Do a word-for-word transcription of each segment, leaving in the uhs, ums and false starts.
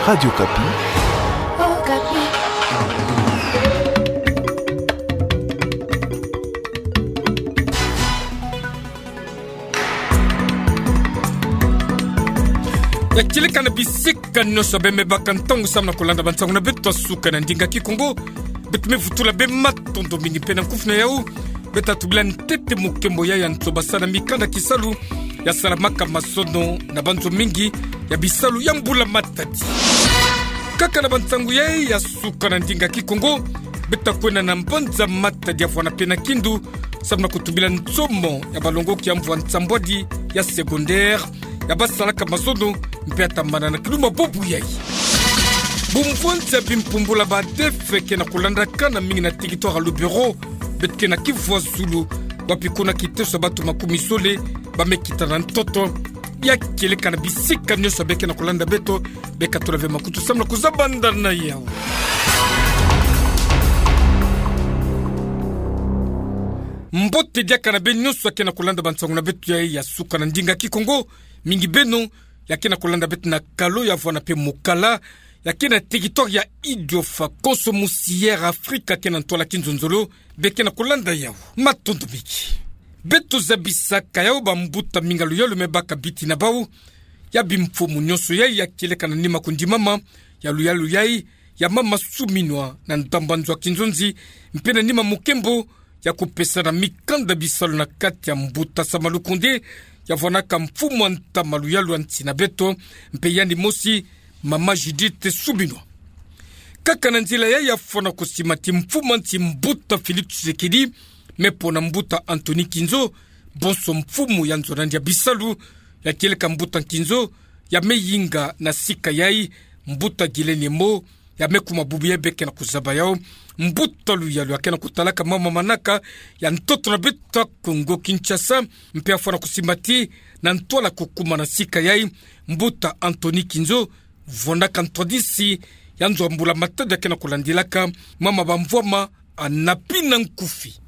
Radio Okapi. Okapi. Ya kieleka na bisika nyonso bemebaka ntangu samu na kolanda bansangu na beto ya suka na ndinga Kikongo. Beto me vutula bê matondo mingi mpe na nkufi na yau. Beto tubila ntete mukembo ya ya nto basala mikanda kisalu ya salamaka mazono na banzo mingi ya bisalu ya mbula matadi. Kaka na bansangu ya ya suka na ndinga Kikongo, beto kwenda na mbanza Matadi ya vwanda mpe na Kindu, samu na kutubila nsomo ya balongoki ya mvu ya nsambwadi ya secondaire, ya basalaka mazono, mpe ya tambana na kiluma bobu yai. Bumvwanzi ya bimpumbula ba ADEF ke na kolandaka na mingi na territoire ya Lubero, beto ke na kivwa zulu, wapi kuna kiteso ya bato makumi zole ba me kita na ntoto. Ya kieleka na bisika nyonso beke na kolanda beto, beka tula ve makutu samu na kuzabanda na yau. Mbote diaka na beno nyonso ya ke na kolanda bansangu na beto ya ya suka na ndinga Kikongo, mingi beno ya ke na kolanda beto na kalo ya vwanda mpe mukala, ya ke na territoire ya Idiofa, konso musi Air Afrika ke na ntwala kinzonzolo, beke na kolanda yau. Matondo mingi. Beto zabisaka yau bambuta mingi ya luyalu me baka biti na bau, ya bimfumu nyonso yai ya kieleka na nima kundimama ya luyalu yai, ya mama Suminwa na ndamba nzo ya kinzonzi, mpe na nima mukembo ya kupesana mikanda bisalu na kati ya mbuta Sama Lukonde, ya vwanaka mfumu ya ntama luyalu ya nsi na beto, mpe yandi mosi, mama Judith Suminwa. Kaka na nzila yai ya fwana kusimati mfumu ya nsi mbuta Félix Tshisekedi, me pona mbuta Anthony Nkinzo, bonso mfumu ya nzo na yandi ya bisalu, ya kieleka mbuta Nkinzo, ya me yinga na sika yai, mbuta Guylaine Yemo, ya me kuma bubu yai beke na kuzaba yau, mbuta luyalu ya ke na kutalaka mama manaka ya ntoto na beto ya Kongo Kinshasa, mpe ya fwana kusimati na ntwala kukuma na sika yai, mbuta Anthony Nkinzo, vwanaka ntwadisi ya nzo ya mbula matadi ya ke na kulandilaka mama bamvwama anapi na nkufi.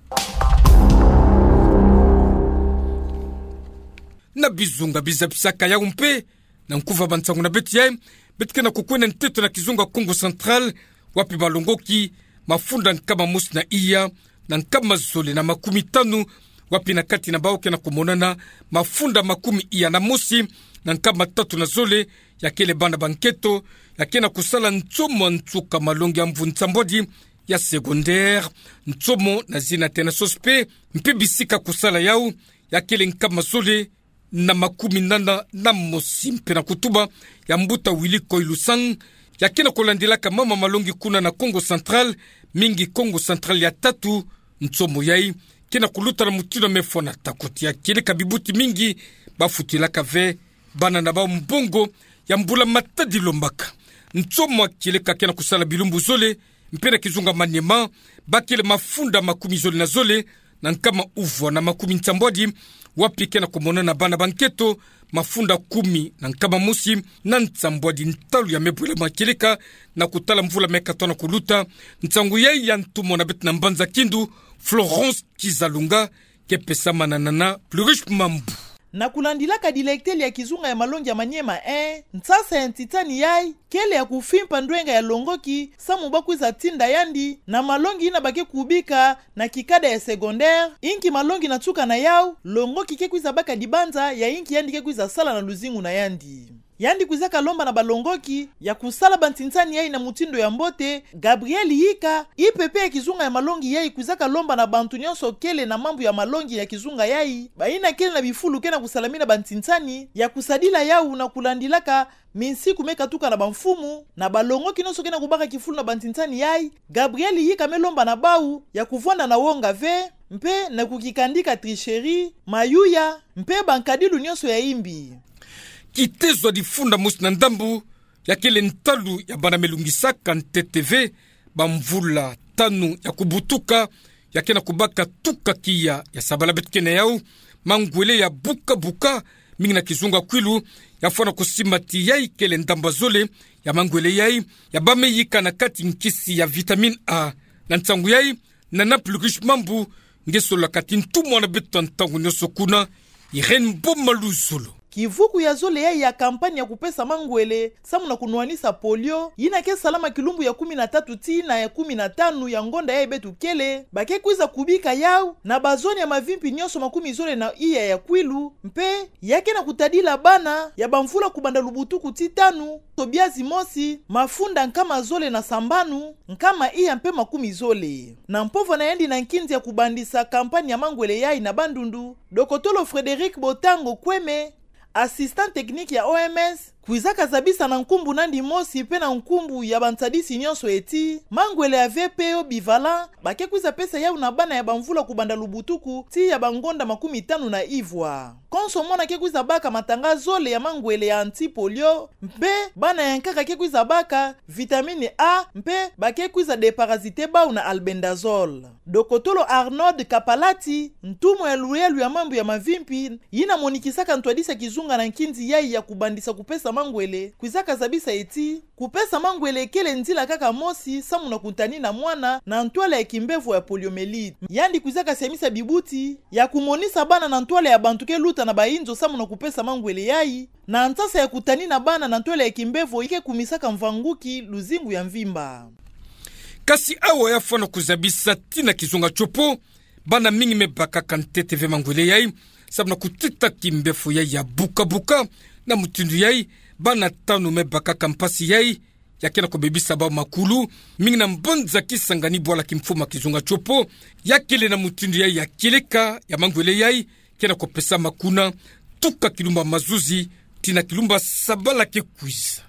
Na bizunga bizabisaka yau mpe, na nkufi ya bansangu na beto yai, beto ke na kukwenda nteto na kizunga Kongo Central, wapi balongoki mafunda nkama mosi na iya na nkama zole na makumi tanu, wapi na kati na bau ke na kumonana mafunda makumi iya na mosi na nkama tatu na zole, ya kele bana ba nketo, ya ke na kusala nsomo ya nsuka malongi ya mvu nsambwadi ya secondaire, nsomo na zina tena S O S P, mpe bisika kusala yau, ya kele nkama zole na makumi nana na mosi mpe na kutuba ya mbuta Willy Koilusang, ya ke na kulandilaka mama malongi kuna na Kongo Central, mingi Kongo Central ya tatu, nsomo yai ke na kuluta na mutindu ya me fwanata koti ya kieleka bibuti mingi ba futilaka ve bana na bau mbongo ya mbula matadi lombaka. Nsomo ya kieleka ke na kusala bilumbu zole, mpe na kizunga Maniema, ba kele mafunda makumi zole na zole, na nkama uvwa na makumi nsambwadi, wapi ke na kumonana bana ba nketo, mafunda kumi na nkama mosi na nsambwadi ntalu ya me bwela ma kieleka, na kutala mvula me katoa na kuluta. Nsangu yai ya ntumwa na beto na mbanza Kindu, Florence Kizalunga, ke pesamana na Plurish Mambu. Na kulandilaka directeur ya kizunga ya malongi ya Maniema un, nsasa ya ntitani yai kele ya kufimpa ndwenga ya longoki, samu ba kwiza tinda yandi na malongi yina ba ke kubika na kikada ya secondaire, inki malongi na nsuka na yau longoki ke kwiza baka dibanza ya inki yandi ke kwiza sala na luzingu na yandi. Yandi kwizaka lomba na balongoki ya kusala bantinsani yai na mutindu ya mbote. Gabriel Yika, I P P ya kizunga ya malongi yai, kwizaka lomba na bantu nyonso kele na mambu ya malongi ya kizunga yai, bayina kele na bifulu ke na kusalamina bantinsani, ya kusadila yau na kulandilaka minsiku me katuka na bamfumu, na balongoki nyonso ke na kubaka kifulu na bantinsani yai. Gabriel Yika me lomba na bau ya kuvwanda na wonga ve, mpe na kukikandika tricherie, mayuya, mpe bankadilu nyonso ya imbi. Kitezo ya difunda mosi na ndambu, ya kele ntalu ya bana me lungisaka ntete ve bamvula tanu ya kubutuka, ya ke na kubaka tuka kiya ya sabala beto ke na yau, mangwele ya buka buka, mingi na kizunga kwilu, ya fwana kusimati yai kele ndamba zole ya mangwele yai, ya ba me yika na kati nkisi ya vitamine A. Na nsangu yai, nana Plurish Mambu, nge solola kati ntumwa na beto ya ntangu nyonso kuna, Irène Boma Luzolo. kivuku ya zole yayi ya campagne ya kupesa mangwele samu na kunwanisa polio, yina ke salama kilumbu ya kumi na tatu tii na ya kumi na tanu ya ngonda yayi beto kele, ba ke kwiza kubika yawu na bazone ya mavimpi nyonso makumi zole na iya ya Kwilu, mpe ya ke na kutadila bana ya bamvula kubanda lubutuku tii tanu, to bia zimosi, mafunda nkama zole na sambanu, nkama iya mpe makumi zole. Na mpovwa na yandi na nkinzi ya kubandisa campagne ya mangwele yayi na Bandundu, dokotolo Frédéric Botango Kweme, assistant technique ya O M S, kwizaka zabisa na nkumbu na yandi mosi mpe na nkumbu ya bansadisi nyonso ti mangwele ya V P O bivalent ba ke kwiza pesa yawu na bana ya bamvula kubanda lubutuku tii ya bangonda makumi tanu na ivwa. Konso mwana ke kwiza baka matanga zole ya mangwele ya anti-polio, mpe bana ya nkaka ke kwiza baka vitamine A, mpe ba ke kwiza déparasiter bawu na albendazole. Dokotolo Arnold Kapalati, ntumwa ya luyalu ya mambu ya mavimpi, yina monikisaka ntwadisi ya kizunga na nkinzi yayi ya kubandisa kupesa mangwele, kwizaka zabisa ti kupesa mangwele kele nzila kaka mosi samu na kutanina mwana na ntwala ya kimbevo ya poliomyélite. Yandi kwizaka siamisa bibuti ya kumonisa bana na ntwala ya bantu ke luta na bayinzo samu na kupesa mangwele yayi, na nsasa ya kutanina bana na ntwala ya kimbevo yi ke kumisaka mvanguki luzingu ya mvimba. Kasi awa ya fwana kuzabisa tii na kizunga tiopo, bana mingi me bakaka ntete ve mangwele yayi, samu na kutita kimbevo yayi ya buka-buka. Na mutindu yayi, bana tanu me bakaka mpasi yayi, ya ke na kubebisa bawu makulu, mingi na mbanza Kisangani, bwala kimfumu ya kizunga tiopo, ya kele na mutindu yayi ya kieleka ya mangwele yayi, ke na kupesama kuna tuka kilumbu ya mazuzi tii na kilumbu ya sabala ke kwiza.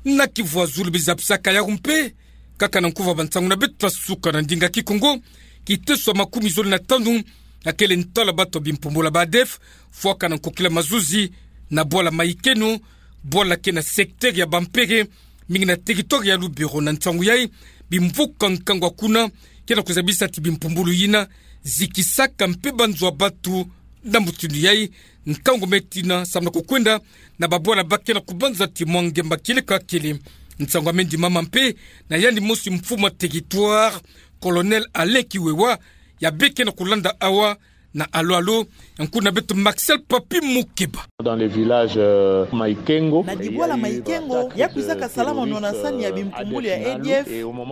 Na Kivu ya zulu bizapisaka yawu mpe, kaka na nkuva bansangu na beto ta suka na ndinga Kikongo, kiteso ya makumi zole na tanu, ya kele ntwala batu ya bimpumbulu ya ba ADF, fwaka na nkokila mazuzi, na bwala Maikeno, bwala ke na secteur ya Bampere, mingi na territoire ya Lubero. Na nsangu yayi, bimvuka nkangu ya kuna ke na kuzabisa ti bimpumbulu yina zikisaka mpe banzo ya batu. Na mutindu yayi, nkangu me tina samu na kukwenda na babwala ba ke na kubanza ti mwa ngemba kieleka kele. Nsangu ya me ndimama mpe na yandi mosi mfumu ya territoire, Colonel Alain Kiwewa, ya bê ke na kulanda awa na alo-alo ya nkuna beto Marcel Papi Mukeba. Dans les villages, euh, Maikengo, na dibwala Maikengo, ya kwizaka salama na nsani ya bimpumbulu ya ADF,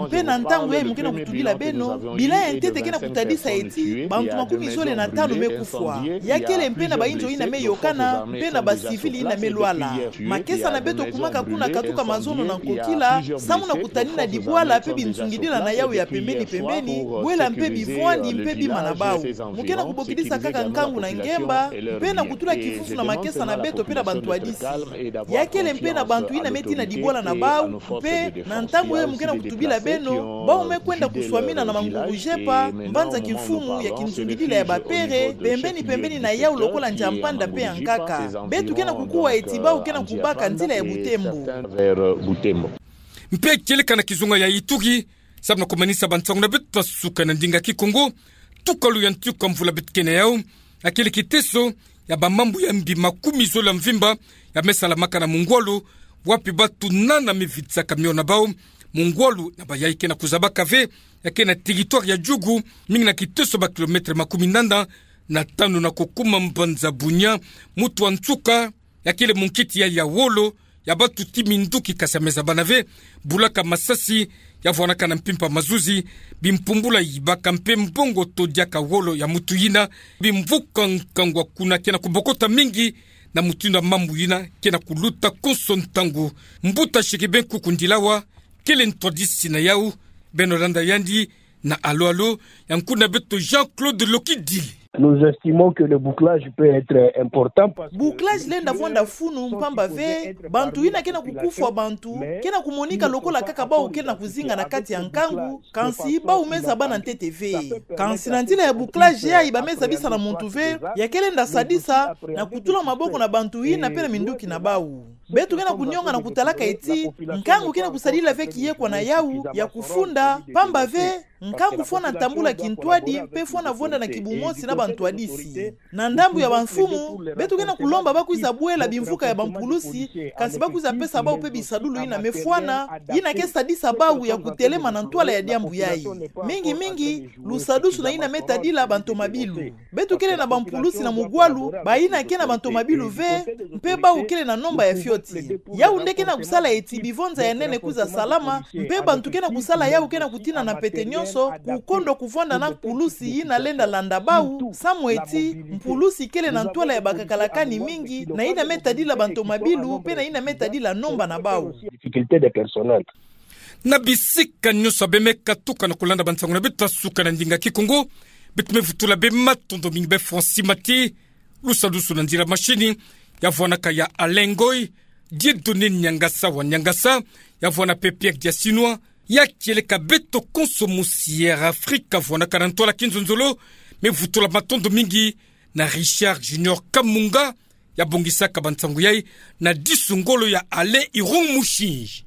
mpe na ntangu yayi mu ke na kutubila beno, bilan ya ntete ke na kutadisa ti bantu makumi zole na tanu me kufwa. Ya kele mpe na bayinzo yina me yokana, mpe na ba civils yina me lwala. Makesa na beto kumaka kuna katuka mazono na nkokila, samu na kutanina dibwala mpe binzungidila na yawu ya pembeni-pembeni, bwela mpe bivwandi mpe bima na bawu. Mu ke na kubokidisa kaka nkangu na ngemba, mpe na kutula kifufu na makesa na beto mpe na bantwadisi. Ya kele mpe na bantu yina me tii na dibwala na bawu, mpe na ntangu yayi mu ke na kutubila beno, bawu me kwenda kuswamina na manguru-jepa, mbanza kimfumu ya kinzungidila ya Bapere, pembeni-pembeni na yawu lokola Ndia-Mpanda mpe ya nkaka. Beto ke na kukuwa ti bawu ke na kubaka nzila ya Butembo. Mpe kieleka na kizunga ya Ituri, samu na kumanisa bansangu na beto ta suka na ndinga Kikongo, tukalu ya ntuka mvula beto ke na yawu, ya kele kiteso ya bamambu ya mbi makumi zole ya mvimba ya me salamaka na mungwalu, wapi batu nana me vidisaka mio na bawu. Mungwalu na bayayi ke na kuzabaka ve, ya ke na territoire ya Djugu, mingi na kiteso ba kilomètre makumi nana na tanu na kukuma mbanza Bunia. Mutu ya nsuka, ya kele munkiti ya, ya wolo ya batu ti minduki, kasi ya me zabana ve, bulaka masasi ya vwanaka na mpimpa mazuzi, bimpumbulu ya yibaka mpe mbongo to diaka wolo ya mutu yina. Bimvuka nkangu ya kuna ke na kubokota mingi, na mutindu ya mambu yina ke na kuluta konso ntangu. Mbuta Chérubin Kuku Ndilawa, kele ntwadisi na yawu. Beno landa yandi na alo-alo ya nkuna beto Jean-Claude Lokidile. Nous estimons que le bouclage peut être important parce que... Bouclage lenda vwanda funu mpamba ve, bantu yina ke na kukufwa bantu ke na kumonika lokola kaka bawu ke na kuzinga na kati ya nkangu, kansi bawu me zabana ntete ve. Kansi na nzila ya bouclage yayi ba me zabisa na muntu ve, ya ke lenda sadisa na kutula maboko na bantu yina mpe na minduki na bawu. Beto kena kunionga na kutalaka eti nkangu kena kusadila ve kiyekwa na yau ya kufunda, pamba ve nkangu fwana tambula kintwadi mpe fwana vonda na kibumosi na bantwadisi. Na ndambu ya bamfumu, beto kena kulomba bakwiza bwela bimvuka ya bampulusi, kansi bakwiza pesa bau mpe bisadulu yina me fwana, yina ke sadisa bau ya kutelema na ntwala ya diambu yayi. Mingi mingi, lusadusu na yina me tadila bantomabilu. Beto kele na bampulusi na mugwalu, bayina ke na bantomabilu ve, mpe bau kele na nomba ya fioti. Yau nde kena kusala eti bivonza ya nene kwiza salama, mpe bantu kena kusala yau kena kutina na mpete nionso, kukondwa kuvonda na mpulusi yina lenda landa bau, samu eti mpulusi kele na ntwala ya bakakalakani mingi, na yina me tadila bantomabilu, mpe na yina me tadila nomba na bau. Na bisika nionso abe me katuka na kulanda bansangu na beto ya suka na ndinga Kikongo, beto me vutula be matondo mingi be Francis Mati, lusadusu na nzila mashini, ya vwanaka ya Alain Ngoy, Dieudonné Niangasa wa Niangasa, ya vwana mpe Pierre Diasinois, ya kieleka beto konso musi Air Afrique vwanaka na ntwala kinzonzolo, me vutula matondo mingi na Richard Junior Kamunga, ya bongisaka bansangu yayi na disu ngolo ya Alain Irung Mushinji.